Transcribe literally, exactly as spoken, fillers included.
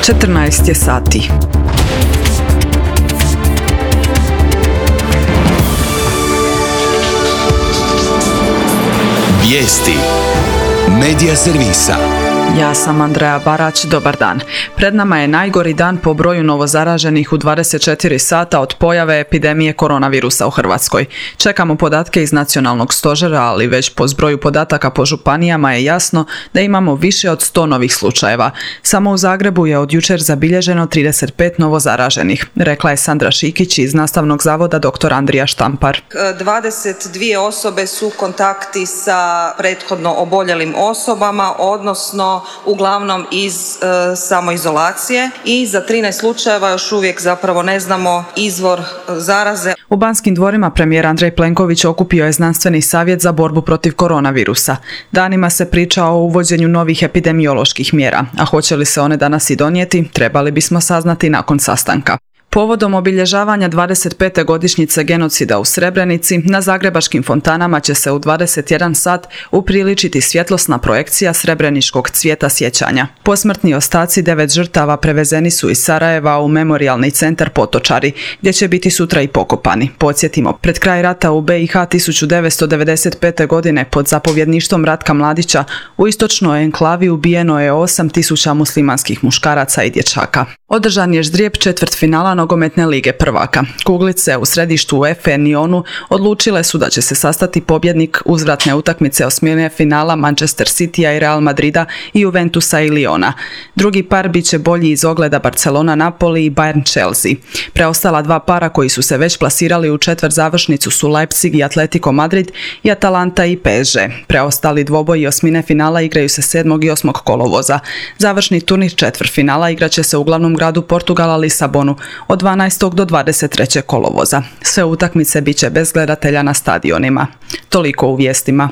četrnaest je sati. Vijesti Medija servisa. Ja sam Andreja Barać, dobar dan. Pred nama je najgori dan po broju novozaraženih u dvadeset četiri sata od pojave epidemije koronavirusa u Hrvatskoj. Čekamo podatke iz nacionalnog stožera, ali već po zbroju podataka po županijama je jasno da imamo više od sto novih slučajeva. Samo u Zagrebu je od jučer zabilježeno trideset pet novozaraženih, rekla je Sandra Šikić iz Nastavnog zavoda dr. Andrija Štampar. dvadeset dvije osobe su kontakti sa prethodno oboljelim osobama, odnosno uglavnom iz e, samoizolacije, i za trinaest slučajeva još uvijek zapravo ne znamo izvor zaraze. U Banskim dvorima premijer Andrej Plenković okupio je znanstveni savjet za borbu protiv koronavirusa. Danima se priča o uvođenju novih epidemioloških mjera, a hoće li se one danas i donijeti, trebali bismo saznati nakon sastanka. Povodom obilježavanja dvadeset pete godišnjice genocida u Srebrenici, na zagrebačkim fontanama će se u dvadeset jedan sat upriličiti svjetlosna projekcija srebreničkog cvijeta sjećanja. Posmrtni ostaci devet žrtava prevezeni su iz Sarajeva u memorijalni centar Potočari, gdje će biti sutra i pokopani. Podsjetimo, pred kraj rata u be i ha tisuću devetsto devedeset pete. godine pod zapovjedništvom Ratka Mladića u istočnoj enklavi ubijeno je osam tisuća muslimanskih muškaraca i dječaka. Održan je ždrijeb četvrtfinala nogometne lige prvaka. Kuglice u središtu UEFA Nionu odlučile su da će se sastati pobjednik uzvratne utakmice osmine finala Manchester Citya i Real Madrida i Juventusa i Liona. Drugi par bit će bolji iz ogleda Barcelona Napoli i Bayern Chelsea. Preostala dva para koji su se već plasirali u četvrt završnicu su Leipzig i Atletico Madrid i Atalanta i pe es ge. Preostali dvoboji osmine finala igraju se sedmog i osmog kolovoza. Završni turnir četvrtfinala igraće se u glavnom gradu Portugala Lisabonu od dvanaestog do dvadeset trećeg kolovoza. Sve utakmice bit će bez gledatelja na stadionima. Toliko u vijestima.